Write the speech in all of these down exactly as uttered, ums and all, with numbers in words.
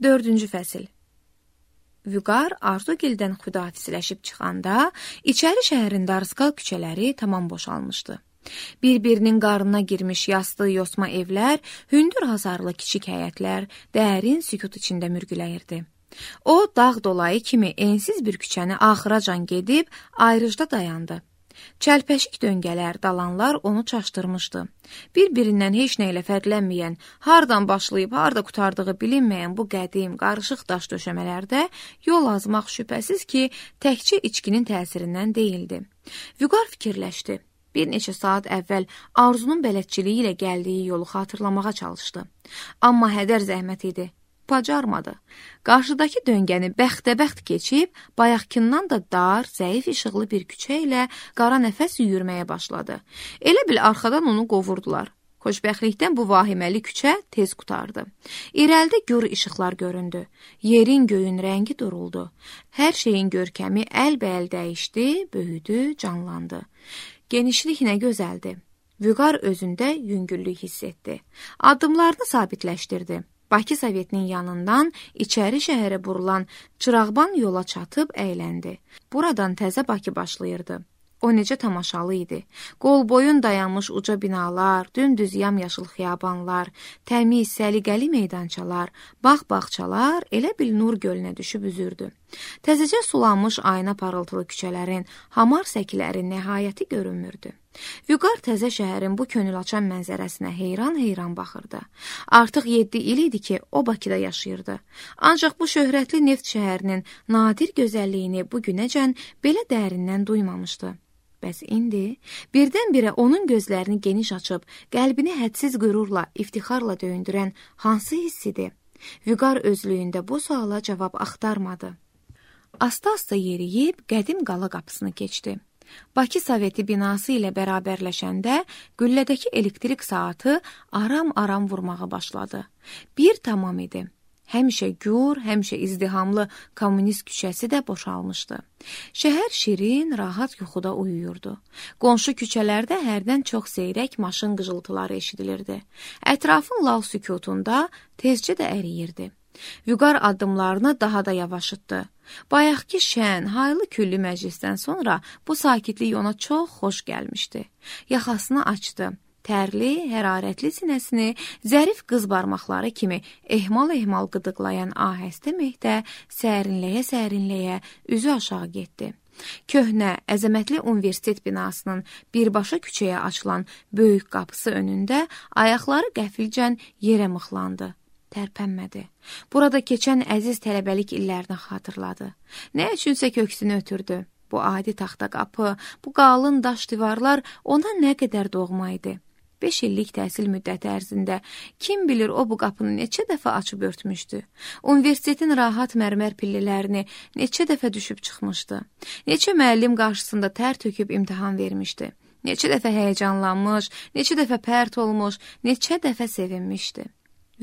Dördüncü fəsil. Vüqar Arzugildən xudafizləşib çıxanda, içəri şəhərin darısqal küçələri tamam boşalmışdı. Bir-birinin qarnına girmiş yastı yosma evlər, hündür hasarlı kiçik həyətlər dərin sükut içində mürgüləyirdi. O, dağ dolayı kimi ensiz bir küçəni axıracan gedib, ayrıcda dayandı. Çəlpəşik döngələr, dalanlar onu çaşdırmışdı. Bir-birindən heç nə ilə fərqlənməyən, hardan başlayıb, harda qutardığı bilinməyən bu qədim, qarışıq daş döşəmələrdə yol azmaq şübhəsiz ki, təkcə içkinin təsirindən deyildi. Vüqar fikirləşdi. Bir neçə saat əvvəl Arzunun bələdçiliyi ilə gəldiyi yolu xatırlamağa çalışdı. Amma hədər zəhmət idi. Bacarmadı. Qarşıdakı döngəni bəxtəbəxt keçib, bayaqkindən da dar, zəif işıqlı bir küçə ilə qara nəfəs yürüməyə başladı. Elə bil arxadan onu qovurdular. Xoşbəxtlikdən bu vahiməli küçə tez qutardı. İrəlidə gür işıqlar göründü. Yerin göyün rəngi duruldu. Hər şeyin görkəmi əlbəəl dəyişdi, böyüdü, canlandı. Genişlik nə gözəldi. Vüqar özündə yüngüllük hiss etdi. Addımlarını sabitləşdirdi. Bakı Sovetinin yanından içəri şəhərə burulan çırağban yola çatıb əyləndi. Buradan təzə Bakı başlayırdı. O necə tamaşalı idi. Qol boyun dayanmış uca binalar, dümdüz yamyaşıl xiyabanlar, təmiz, səliqəli meydançalar, bağ-bağçalar elə bil nur gölünə düşüb üzürdü. Təzəcə sulanmış ayna parıltılı küçələrin, hamar səkiləri nəhayəti görünmürdü. Vüqar təzə şəhərin bu könül açan mənzərəsinə heyran-heyran baxırdı. Artıq yeddi il idi ki, o Bakıda yaşayırdı. Ancaq bu şöhrətli neft şəhərinin nadir gözəlliyini bu günəcən belə dərindən duymamışdı. Bəs indi birdən-birə onun gözlərini geniş açıb, qəlbini hədsiz qürurla, iftixarla döyündürən hansı hissidir? Vüqar özlüyündə bu suala cavab axtarmadı. Asta-asta yeriyib qədim qala qapısını keçdi. Bakı Soveti binası ilə bərabərləşəndə qüllədəki elektrik saatı aram-aram vurmağa başladı. Bir tamam idi. Həmişə gür, həmişə izdihamlı kommunist küçəsi də boşalmışdı. Şəhər şirin, rahat yuxuda uyuyurdu. Qonşu küçələrdə hərdən çox seyrək maşın qıcıltıları eşidilirdi. Ətrafın lal sükutunda tezcə də əriyirdi. Vüqar addımlarını daha da yavaşıtdı. Bayaqki şən, haylı küllü məclisdən sonra bu sakitlik ona çox xoş gəlmişdi. Yaxasını açdı. Tərli, hərarətli sinəsini zərif qız barmaqları kimi ehmal-ehmal qıdıqlayan ahəstə mehdə sərinləyə-sərinləyə üzü aşağı getdi. Köhnə, əzəmətli universitet binasının birbaşa küçəyə açılan böyük qapısı önündə ayaqları qəfilcən yerə mıxlandı. Tərpənmədi. Burada keçən əziz tələbəlik illərini xatırladı. Nə üçünsə köksünü ötürdü. Bu adi taxta qapı, bu qalın daş divarlar ona nə qədər doğma idi. Beş illik təhsil müddəti ərzində kim bilir o bu qapını neçə dəfə açıb örtmüşdü. Universitetin rahat mərmər pillələrini neçə dəfə düşüb çıxmışdı. Neçə müəllim qarşısında tər töküb imtahan vermişdi. Neçə dəfə həyəcanlanmış, neçə dəfə pərt olmuş, neçə dəfə sevinmişdi.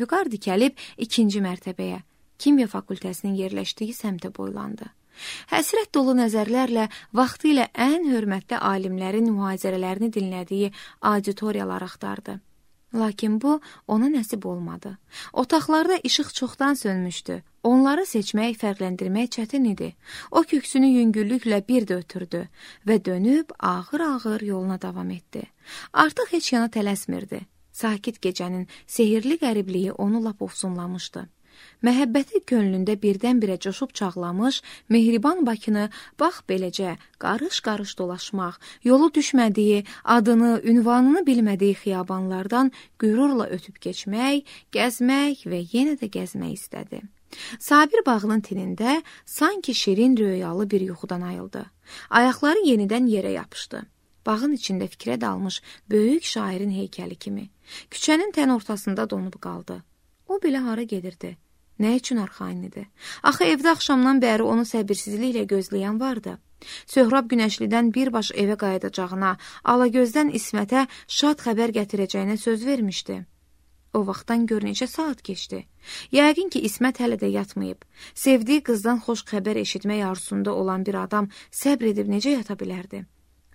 Vüqar dikəlib ikinci mərtəbəyə, kimya fakültəsinin yerləşdiyi səmtə boylandı. Həsrət dolu nəzərlərlə vaxtı ilə ən hörmətli alimlərin mühazirələrini dinlədiyi auditoriyalar axtardı. Lakin bu ona nəsib olmadı. Otaqlarda işıq çoxdan sönmüşdü. Onları seçmək, fərqləndirmək çətin idi. O köksünü yüngüllüklə bir də ötürdü və dönüb ağır-ağır yoluna davam etdi. Artıq heç yana tələsmirdi. Sakit gecənin sehirli qəribliyi onu lap ofsunlamışdı. Məhəbbəti könlündə birdən-birə coşub çağlamış, mehriban Bakını bax beləcə qarış-qarış dolaşmaq, yolu düşmədiyi, adını, ünvanını bilmədiyi xiyabanlardan qürurla ötüb keçmək, gəzmək və yenə də gəzmək istədi. Sabir bağının tinində sanki şirin röyalı bir yuxudan ayıldı. Ayaqları yenidən yerə yapışdı. Bağın içində fikrə dalmış böyük şairin heykəli kimi. Küçənin tən ortasında donub qaldı. O belə hara gedirdi? Nə üçün arxayın idi? Axı evdə axşamdan bəri onu səbirsizliklə gözləyən vardı. Söhrab Günəşlidən birbaş evə qayıdacağına, Alagözdən İsmətə şad xəbər gətirəcəyinə söz vermişdi. O vaxtdan gör neçə saat keçdi. Yəqin ki, İsmət hələ də yatmayıb. Sevdiyi qızdan xoş xəbər eşitmək arzusunda olan bir adam səbr edib necə yata bilərdi?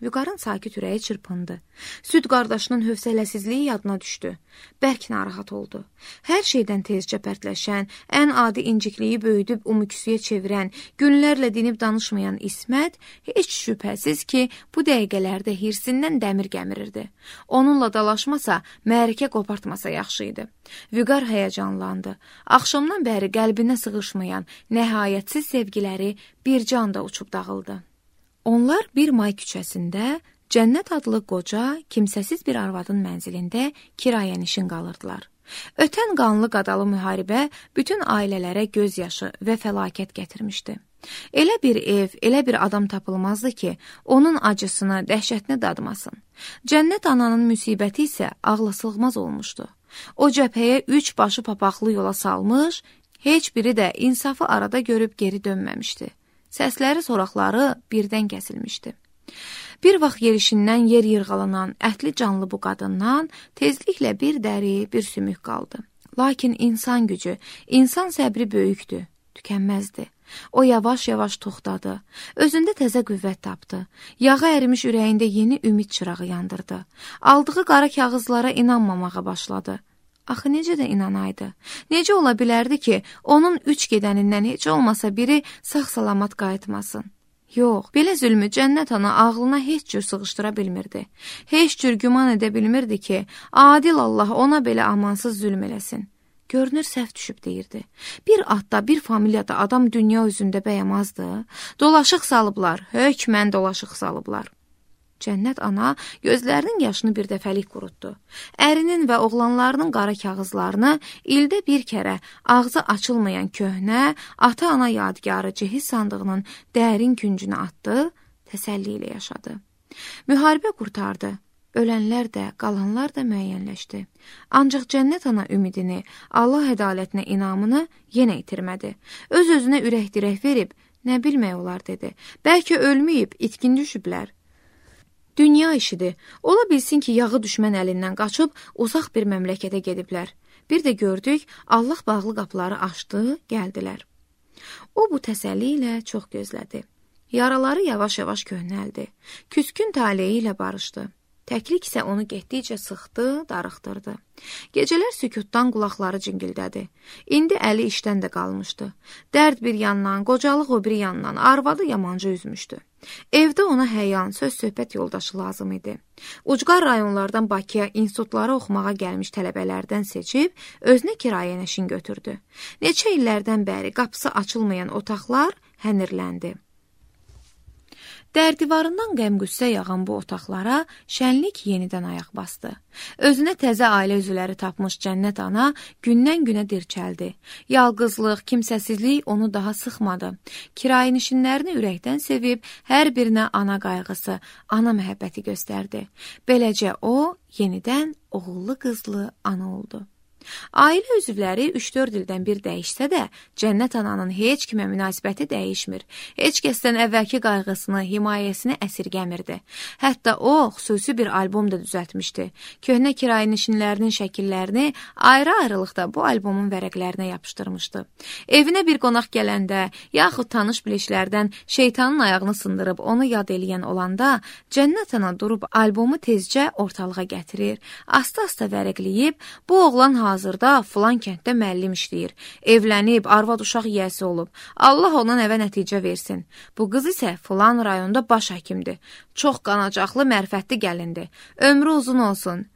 Vüqarın sakit ürəyi çırpındı. Süd qardaşının hövsələsizliyi yadına düşdü. Bərk narahat oldu. Hər şeydən tezcə pərtləşən, ən adi incikliyi böyüdüb umuküsüyə çevirən, günlərlə dinib danışmayan İsmət heç şübhəsiz ki, bu dəqiqələrdə hirsindən dəmir gəmirirdi. Onunla dalaşmasa, mərikə qopartmasa yaxşı idi. Vüqar həyəcanlandı. Axşamdan bəri qəlbinə sığışmayan, nəhayətsiz sevgiləri bir canda uçub dağıldı. Onlar bir may küçəsində Cənnət adlı qoca, kimsəsiz bir arvadın mənzilində kirayənişin qalırdılar. Ötən qanlı qadalı müharibə bütün ailələrə göz yaşı və fəlakət gətirmişdi. Elə bir ev, elə bir adam tapılmazdı ki, onun acısını, dəhşətini dadmasın. Cənnət ananın müsibəti isə ağla sığmaz olmuşdu. O cəbhəyə üç başı papaqlı yola salmış, heç biri də insafı arada görüb geri dönməmişdi. Səsləri, soraqları birdən kəsilmişdi. Bir vaxt yerişindən yer yırğalanan, ətli canlı bu qadından tezliklə bir dəri, bir sümük qaldı. Lakin insan gücü, insan səbri böyükdür, tükənməzdi. O yavaş-yavaş toxtadı, özündə təzə qüvvət tapdı. Yağı ərimiş ürəyində yeni ümid çırağı yandırdı. Aldığı qara kağızlara inanmamağa başladı. Axı necə də inanaydı? Necə ola bilərdi ki, onun üç gedənindən heç olmasa biri sağ-salamat qayıtmasın? Yox, belə zülmü Cənnət ana ağlına heç cür sığışdıra bilmirdi. Heç cür güman edə bilmirdi ki, adil Allah ona belə amansız zülm eləsin. Görünür, səhv düşüb deyirdi. Bir adda, bir familiyada adam dünya üzündə bəyəmazdı. Dolaşıq salıblar, hökmən dolaşıq salıblar. Cənnət ana gözlərinin yaşını bir dəfəlik qurutdu. Ərinin və oğlanlarının qara kağızlarını ildə bir kərə ağzı açılmayan köhnə, ata-ana yadigarı cehiz sandığının dərin küncünə atdı, təsəlli ilə yaşadı. Müharibə qurtardı. Ölənlər də, qalanlar da müəyyənləşdi. Ancaq Cənnət ana ümidini, Allah ədalətinə inamını yenə itirmədi. Öz-özünə ürək-dirək verib, nə bilmək olar dedi. Bəlkə ölməyib, itkin düşüblər. Dünya işidir. Ola bilsin ki, yağı düşmən əlindən qaçıb uzaq bir məmləkətə gediblər. Bir də gördük, Allah bağlı qapıları açdı, gəldilər. O bu təsəlli ilə çox gözlədi. Yaraları yavaş-yavaş köhnəldi. Küskün taleyi ilə barışdı. Təklik isə onu getdikcə sıxdı, darıxdırdı. Gecələr sükutdan qulaqları cingildədi. İndi əli işdən də qalmışdı. Dərd bir yandan, qocalıq o bir yandan, arvadı yamanca üzmüşdü. Evdə ona həyan, söz-söhbət yoldaşı lazım idi. Ucqar rayonlardan Bakıya institutlara oxumağa gəlmiş tələbələrdən seçib, özünə kirayənişin götürdü. Neçə illərdən bəri qapısı açılmayan otaqlar hənirləndi. Dərdivarından qəm-qüssə yağan bu otaqlara şənlik yenidən ayaq bastı. Özünə təzə ailə üzvləri tapmış Cənnət ana gündən-günə dirçəldi. Yalqızlıq, kimsəsizlik onu daha sıxmadı. Kirayənişinlərini ürəkdən sevib, hər birinə ana qayğısı, ana məhəbbəti göstərdi. Beləcə o, yenidən oğullu-qızlı ana oldu. Ailə üzvləri üç-dörd ildən bir dəyişsə də, Cənnət ananın heç kimə münasibəti dəyişmir. Heç kəsdən əvvəlki qayğısını, himayəsini əsirgəmirdi. Hətta o, xüsusi bir albom da düzəltmişdi. Köhnə kirayənişinlərinin şəkillərini ayrı-ayrılıqda bu albomun vərəqlərinə yapışdırmışdı. Evinə bir qonaq gələndə, yaxud tanış bilişlərdən şeytanın ayağını sındırıb onu yad eləyən olanda, Cənnət ana durub albomu tezcə ortalığa gətirir, asta-asta vərəqləyib, bu oğlan hazır Hazırda filan kənddə müəllim işləyir, evlənib, arvad uşaq yiyəsi olub. Allah ona nəvə nəticə versin. Bu qız isə filan rayonda baş həkimdir. Çox qanacaqlı, mərfətli gəlindir. Ömrü uzun olsun.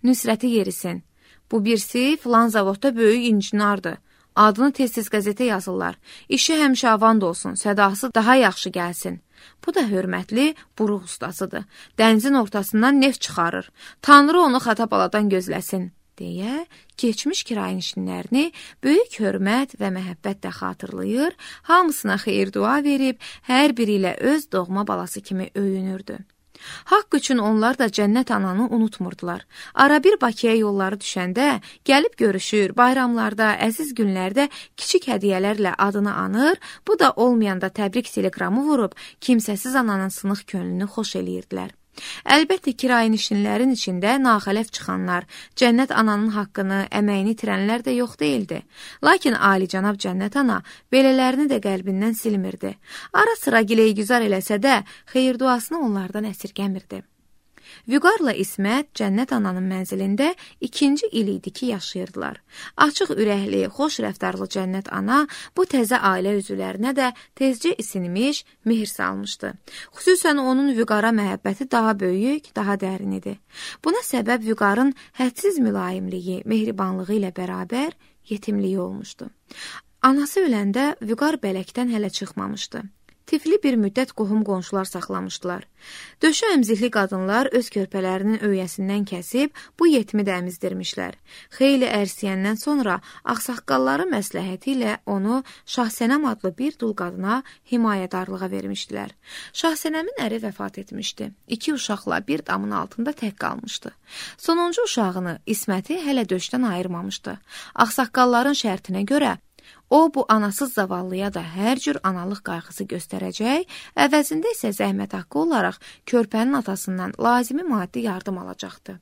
Nüsrəti yerisin. Bu birisi filan zavodda böyük incinardır. Adını tez-tez qəzetə yazırlar. İşi həmişə avand olsun, sədası daha yaxşı gəlsin. Bu da hörmətli buruq ustasıdır. Dənizin ortasından neft çıxarır. Tanrı onu xatabaladan gözləsin. deyə keçmiş kirayənişinlərini böyük hörmət və məhəbbətlə xatırlayır, hamısına xeyir-dua verib, hər biri ilə öz doğma balası kimi öyünürdü. Haqq üçün onlar da Cənnət ananı unutmurdular. Ara bir Bakıya yolları düşəndə gəlib görüşür, bayramlarda, əziz günlərdə kiçik hədiyyələrlə adını anır, bu da olmayanda təbrik telegramı vurub kimsəsiz ananın sınıq könlünü xoş eləyirdilər. Əlbəttə, kirayənişinlərin içində naxələf çıxanlar, Cənnət ananın haqqını, əməyini itirənlər də yox deyildi. Lakin alicənab Cənnət ana belələrini də qəlbindən silmirdi. Ara sıra gileygüzar eləsə də, xeyir duasını onlardan əsirgəmirdi. Vüqarla İsmət Cənnət ananın mənzilində ikinci il idi ki, yaşayırdılar. Açıq ürəkli, xoş rəftarlı Cənnət ana bu təzə ailə üzvlərinə də tezcə isinmiş, mehir salmışdı. Xüsusən onun Vüqara məhəbbəti daha böyük, daha dərin idi. Buna səbəb Vüqarın hədsiz mülayimliyi, mehribanlığı ilə bərabər yetimliyi olmuşdu. Anası öləndə Vüqar bələkdən hələ çıxmamışdı. Tifli bir müddət qohum qonşular saxlamışdılar. Döşü əmzikli qadınlar öz körpələrinin öyəsindən kəsib bu yetimi də əmizdirmişlər. Xeyli ərsiyəndən sonra ağsaqqalları məsləhəti ilə onu Şahsənəm adlı bir dul qadına himayədarlığa vermişdilər. Şahsənəmin əri vəfat etmişdi. İki uşaqla bir damın altında tək qalmışdı. Sonuncu uşağını, İsməti hələ döşdən ayırmamışdı. Ağsaqqalların şərtinə görə o, bu anasız zavallıya da hər cür analıq qayğısı göstərəcək, əvəzində isə zəhmət haqqı olaraq körpənin atasından lazımi maddi yardım alacaqdı.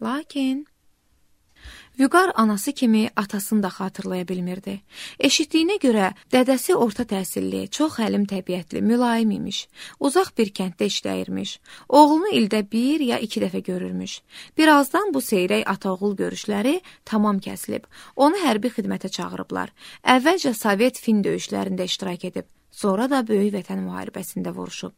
Lakin Vüqar anası kimi atasını da xatırlaya bilmirdi. Eşitdiyinə görə dədəsi orta təhsilli, çox həlim təbiətli, mülayim imiş. Uzaq bir kənddə işləyirmiş. Oğlunu ildə bir ya iki dəfə görürmüş. Birazdan bu seyrək ata-oğul görüşləri tamam kəsilib. Onu hərbi xidmətə çağırıblar. Əvvəlcə Sovet fin döyüşlərində iştirak edib. Sonra da Böyük Vətən müharibəsində vuruşub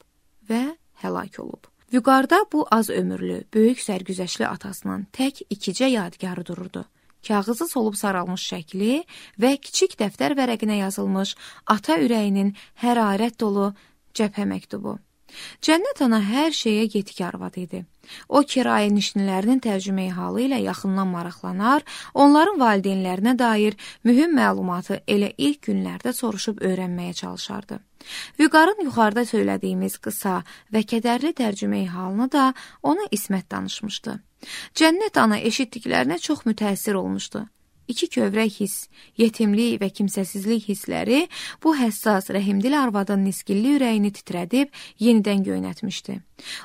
və həlak olub. Vüqarda bu az ömürlü, böyük sərgüzəşli atasının tək ikicə yadigarı dururdu. Kağızı solub saralmış şəkli və kiçik dəftər vərəqinə yazılmış ata ürəyinin hərarət dolu cəbhə məktubu. Cənnət ana hər şeyə yetik arvad idi. O, kirayənişinlərinin tərcüməyi halı ilə yaxından maraqlanar, onların valideynlərinə dair mühüm məlumatı elə ilk günlərdə soruşub öyrənməyə çalışardı. Vüqarın yuxarıda söylədiyimiz qısa və kədərli tərcüməyi halını da ona İsmət danışmışdı. Cənnət ana eşitdiklərinə çox mütəəssir olmuşdu. İki kövrək hiss, yetimlik və kimsəsizlik hissləri bu həssas, rəhimdil arvadın nisgilli ürəyini titrədib yenidən göynətmişdi.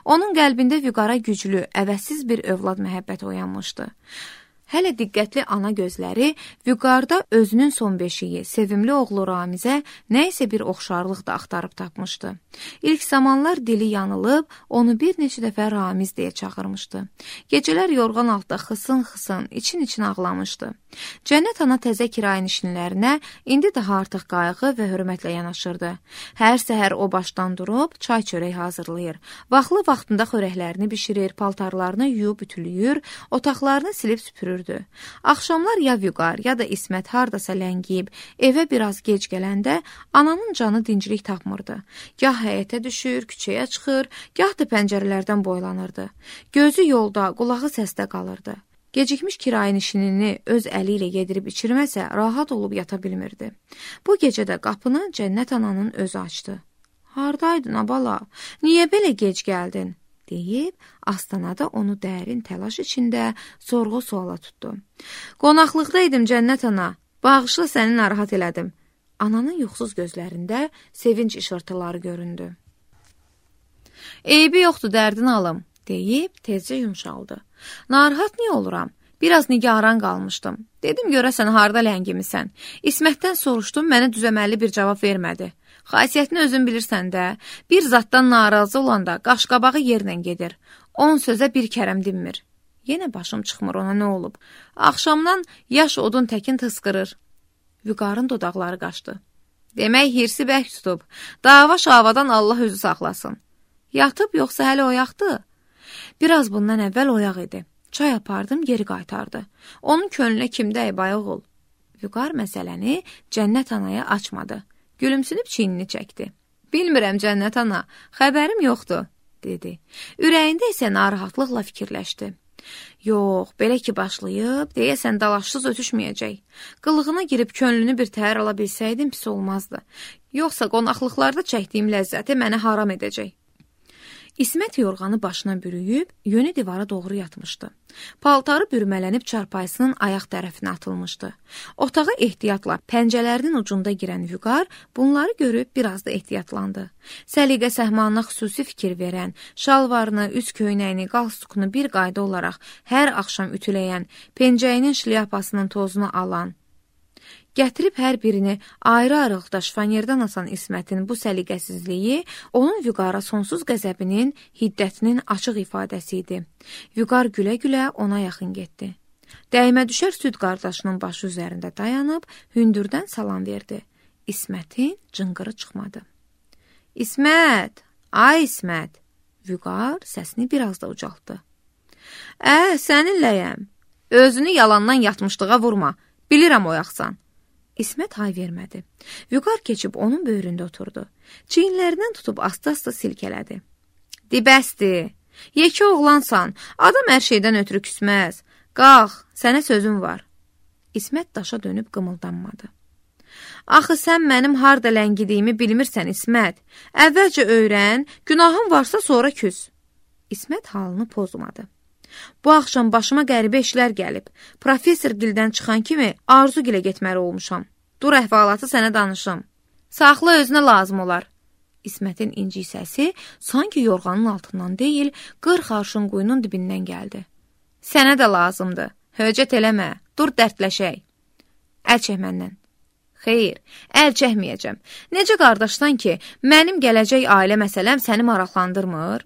Onun qəlbində Vüqara güclü, əvəzsiz bir övlad məhəbbəti oyanmışdı. Hələ diqqətli ana gözləri Vüqarda özünün son beşiyi, sevimli oğlu Ramizə nə isə bir oxşarlıq da axtarıb tapmışdı. İlk zamanlar dili yanılıb, onu bir neçə dəfə Ramiz deyə çağırmışdı. Gecələr yorğan altda xısın-xısın, için-için ağlamışdı. Cənnət ana təzə kirayənişinlərinə indi daha artıq qayğı və hörmətlə yanaşırdı. Hər səhər o başdan durub, çay çörək hazırlayır. Vaxtlı vaxtında xörəklərini bişirir, paltarlarını yuyub ütülüyür, otaqlarını silib süpürür. Axşamlar ya Vüqar, ya da İsmət hardasa ləngiyib, evə biraz gec gələndə ananın canı dincilik tapmırdı. Gah həyətə düşür, küçəyə çıxır, gah da pəncərələrdən boylanırdı. Gözü yolda, qulağı səsdə qalırdı. Gecikmiş kirayənişinini öz əli ilə yedirib içirməsə, rahat olub yata bilmirdi. Bu gecə də qapını Cənnət ananın özü açdı. "Hardaydın, abala? Niyə belə gec gəldin?" deyib, astanada onu dərin təlaş içində sorğu-suala tutdu. "Qonaqlıqdaydım Cənnət ana, bağışla səni narahat elədim." Ananın yuxsuz gözlərində sevinç işırtıları göründü. "Eybi yoxdur, dərdini alım," deyib tezcə yumşaldı. "Narahat niyə oluram? Biraz nigaran qalmışdım. Dedim, görəsən harda ləngimisən. İsmətdən soruşdum, mənə düzəməlli bir cavab vermədi. Xasiyyətini özün bilirsən də, bir zatdan narazı olanda qaşqabağı yerlə gedir. On sözə bir kərəm dinmir. Yenə başım çıxmır, ona nə olub? Axşamdan yaş odun təkin tıskırır." Vüqarın dodaqları qaçdı. "Demək, hirsi bərk tutub. Dava şavadan Allah özü saxlasın. Yatıb yoxsa hələ oyaqdı?" Biraz bundan əvvəl oyaq idi. Çay apardım, geri qaytardı. Onun könlünə kimdə əybay oğul? Vüqar məsələni Cənnət anaya açmadı. Gülümsünüb çiynini çəkdi. "Bilmirəm Cənnət ana, xəbərim yoxdur," dedi. Ürəyində isə narahatlıqla fikirləşdi. "Yox, belə ki başlayıb, deyəsən dalaşsız ötüşməyəcək. Qılığına girib könlünü bir təhər ala bilsəydim pis olmazdı. Yoxsa qonaqlıqlarda çəkdiyim ləzzəti mənə haram edəcək." İsmət yorğanı başına bürüyüb, yönü divara doğru yatmışdı. Paltarı bürmələnib çarpayısının ayaq tərəfinə atılmışdı. Otağa ehtiyatla pəncələrinin ucunda girən Vüqar bunları görüb biraz da ehtiyatlandı. Səliqə səhmanına xüsusi fikir verən, şalvarını, üz köynəyini, qalstukunu bir qayda olaraq hər axşam ütüləyən, pencəyinin şlyapasının tozunu alan, gətirib hər birini ayrı-ayrılıqda şifanyerdən asan İsmətin bu səliqəsizliyi onun Vüqara sonsuz qəzəbinin, hiddətinin açıq ifadəsi idi. Vüqar gülə-gülə ona yaxın getdi. Dəymə düşər süd qardaşının başı üzərində dayanıb, hündürdən salam verdi. İsmətin cınqırı çıxmadı. İsmət, ay İsmət, Vüqar səsini biraz da ucaltdı. Ə, səninləyəm. Özünü yalandan yatmışlığa vurma, bilirəm oyaqsan. İsmət hay vermədi. Vüqar keçib onun böyründə oturdu. Çiyinlərindən tutub asta-asta silkələdi. Dibəsdir, yekə oğlansan, adam hər şeydən ötürü küsməz. Qalx, sənə sözüm var. İsmət daşa dönüb qımıldanmadı. Axı sən mənim harda ləngidiyimi bilmirsən İsmət. Əvvəlcə öyrən, günahın varsa sonra küs. İsmət halını pozmadı. Bu axşam başıma qəribə işlər gəlib. Professor gildən çıxan kimi Arzu gilə getməli olmuşam. Dur əhvalatı sənə danışım. Saxla özünə lazım olar. İsmətin inci səsi sanki yorğanın altından deyil, qırx arşın quyunun dibindən gəldi. Sənə də lazımdır. Höcət eləmə. Dur dərdləşək. Əl çək məndən. Xeyr, əl çəkməyəcəm. Necə qardaşdan ki, mənim gələcək ailə məsələm səni maraqlandırmır?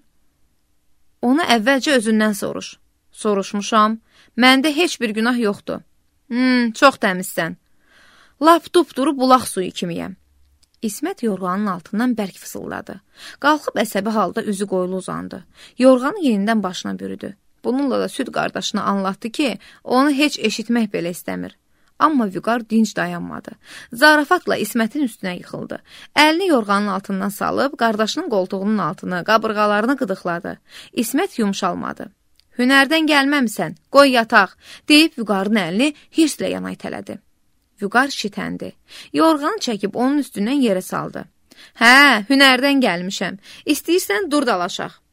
Onu əvvəlcə özündən soruş. Soruşmuşam. Məndə heç bir günah yoxdur. Hmm, çox təmizsən. Lap dupduru bulaq suyu kimiyəm. İsmət yorğanın altından bərk fısıldadı. Qalxıb əsəbi halda üzü qoyulu uzandı. Yorğanı yenidən başına bürüdü. Bununla da süd qardaşına anlatdı ki, onu heç eşitmək belə istəmir. Amma Vüqar dinc dayanmadı. Zarafatla İsmətin üstünə yıxıldı. Əlini yorğanın altından salıb, qardaşının qoltuğunun altını, qabırğalarını qıdıqladı. İsmət yumşalmadı. Hünərdən gəlməmsən, qoy yataq, deyib Vüqarın əlini hirslə yana itələdi. Vüqar şitəndi. Yorğanı çəkib onun üstündən yerə saldı. Hə, hünərdən gəlmişəm. İstəyirsən dur dalaşaq.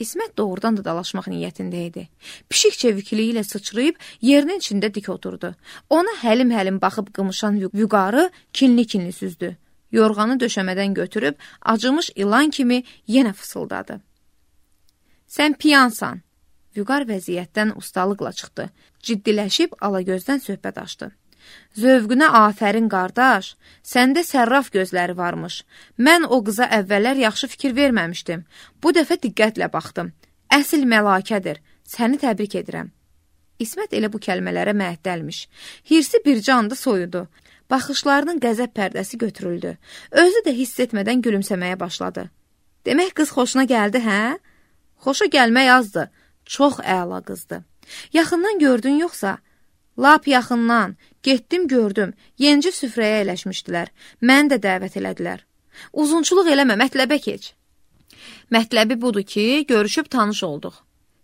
İsmət doğrudan da dalaşmaq niyyətində idi. Pişik çevikliyi ilə sıçrayıb yerinin içində dik oturdu. Ona həlim-həlim baxıb qımışan Vüqarı kinli-kinli süzdü. Yorğanı döşəmədən götürüb acımış ilan kimi yenə fısıldadı. Sən piyansan. Vüqar vəziyyətdən ustalıqla çıxdı. Ciddiləşib alagözdən söhbət açdı. Zövqünə afərin qardaş, səndə sərraf gözləri varmış. Mən o qıza əvvəllər yaxşı fikir verməmişdim. Bu dəfə diqqətlə baxdım. Əsl məlakədir. Səni təbrik edirəm. İsmət elə bu kəlmələrə məəddəlmiş. Hirsi bircə anda soyudu. Baxışlarının qəzəb pərdəsi götürüldü. Özü də hiss etmədən gülümsəməyə başladı. Demək qız xoşuna gəldi, hə? Xoşa gəlmək azdı. Çox əla qızdı. Yaxından gördün yoxsa? Lap yaxından, getdim gördüm, yenicə süfrəyə ələşmişdilər, məni də dəvət elədilər. Uzunçuluq eləmə, mətləbə keç. Mətləbi budur ki, görüşüb tanış olduq.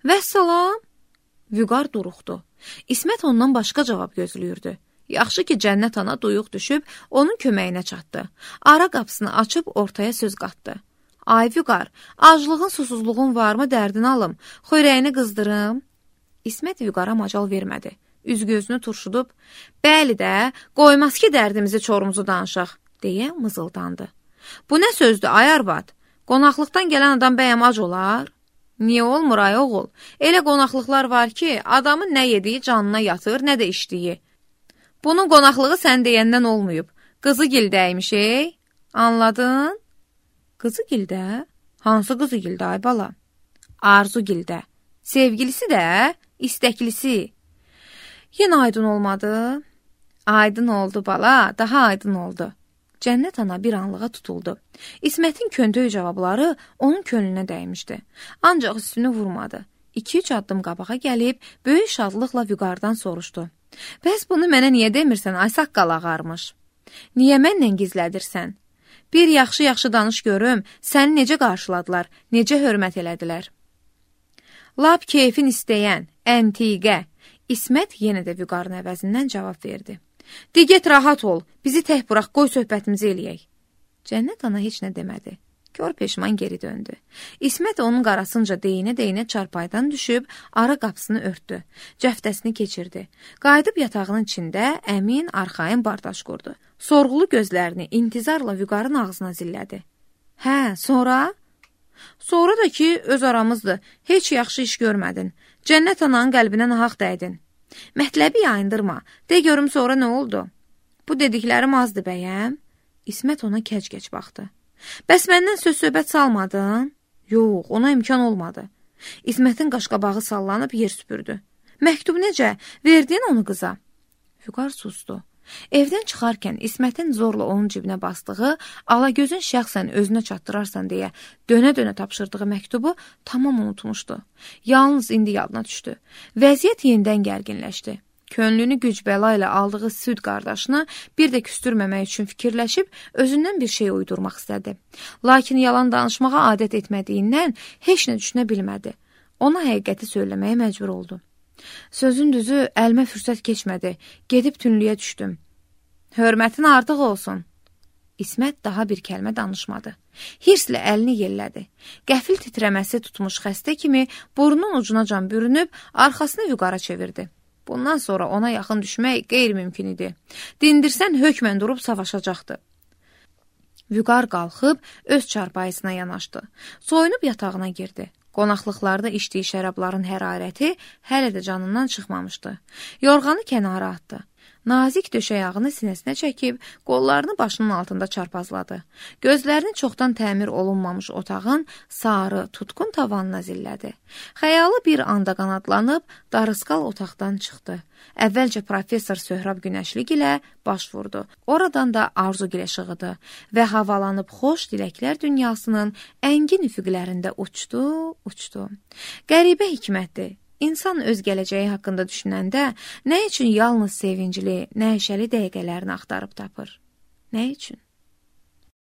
Vəssalam. Vüqar duruxdu. İsmət ondan başqa cavab gözləyirdi. Yaxşı ki, Cənnət ana duyuq düşüb, onun köməyinə çatdı. Ara qapısını açıb ortaya söz qatdı. Ay Vüqar, aclığın, susuzluğun varmı, dərdini alım, xörəyini qızdırım. İsmət Vüqara macal vermədi. Üz-gözünü turşudub, bəli də, qoymaz ki, dərdimizi çorumuzu danışaq, deyə mızıldandı. Bu nə sözdür, ay arvad? Qonaqlıqdan gələn adam bəyəm ac olar? Niyə olmur, ay oğul? Elə qonaqlıqlar var ki, adamın nə yediyi canına yatır, nə də içdiyi. Bunun qonaqlığı sən deyəndən olmayıb. Qızı gildəymiş, ey? Anladın? Qızı gildə? Hansı qızı gildə, ay bala? Arzu gildə. Sevgilisi də, istəklisi. Yenə aydın olmadı. Aydın oldu bala, daha aydın oldu. Cənnət ana bir anlığa tutuldu. İsmətin köndöy cavabları onun könlünə dəymişdi. Ancaq üstünü vurmadı. İki-üç addım qabağa gəlib, böyük şadlıqla Vüqardan soruşdu. Bəs bunu mənə niyə demirsən, ay saqqal ağarmış? Niyə mənlə gizlədirsən? Bir yaxşı-yaxşı danış görüm, səni necə qarşıladılar, necə hörmət elədilər? Lap keyfin istəyən, əntiqə. İsmət yenə də Vüqarın əvəzindən cavab verdi. Digət rahat ol, bizi tək burax, qoy söhbətimizi eləyək. Cənnət ana heç nə demədi. Kör peşman geri döndü. İsmət onun qarasınca deyinə-deyinə çarpaydan düşüb, ara qapısını örtdü. Cəftəsini keçirdi. Qayıdıb yatağının içində əmin, arxayın bardaş qurdu. Sorğulu gözlərini intizarla Vüqarın ağzına zillədi. Hə, sonra? Sonra da ki, öz aramızdır. Heç yaxşı iş görmədin. Cənnət ananın qəlbinə nahaq dəydin. Mətləbi yayındırma. De görüm sonra nə oldu? Bu dediklərim azdı bəyəm? İsmət ona kəc-kəc baxdı. Bəs məndən söz-söhbət salmadın? Yox, ona imkan olmadı. İsmətin qaşqabağı sallanıb yer süpürdü. Məktub necə? Verdin onu qıza? Vüqar susdu. Evdən çıxarkən İsmətin zorla onun cibinə basdığı, Alagözün şəxsən özünə çatdırarsan deyə dönə-dönə tapşırdığı məktubu tamam unutmuşdu. Yalnız indi yadına düşdü. Vəziyyət yenidən gərginləşdi. Könlünü güc-bəla ilə aldığı süd qardaşını bir də küstürməmək üçün fikirləşib özündən bir şey uydurmaq istədi. Lakin yalan danışmağa adət etmədiyindən heç nə düşünə bilmədi. Ona həqiqəti söyləməyə məcbur oldu. Sözün düzü, əlimə fürsət keçmədi. Gedib tünlüyə düşdüm. Hörmətin artıq olsun. İsmət daha bir kəlmə danışmadı. Hirslə əlini yellədi. Qəfil titrəməsi tutmuş xəstə kimi burnunun ucunacan bürünüb arxasını Vüqara çevirdi. Bundan sonra ona yaxın düşmək qeyri-mümkün idi. Dindirsən hökmən durub savaşacaqdı. Vüqar qalxıb öz çarpayısına yanaşdı. Soyunub yatağına girdi. Qonaqlıqlarda içdiyi şərabların hərarəti hələ də canından çıxmamışdı. Yorğanı kənara atdı. Nazik döşəyağını sinəsinə çəkib, qollarını başının altında çarpazladı. Gözlərini çoxdan təmir olunmamış otağın sarı, tutqun tavanına zillədi. Xəyalı bir anda qanadlanıb, darısqal otaqdan çıxdı. Əvvəlcə professor Söhrab Günəşlik ilə baş vurdu. Oradan da Arzu gilə şığıdı və havalanıb xoş diləklər dünyasının əngin üfüqlərində uçdu, uçdu. Qəribə hikmətdir. İnsan öz gələcəyi haqqında düşünəndə nə üçün yalnız sevincli, nəşəli dəqiqələrini axtarıb tapır? Nə üçün?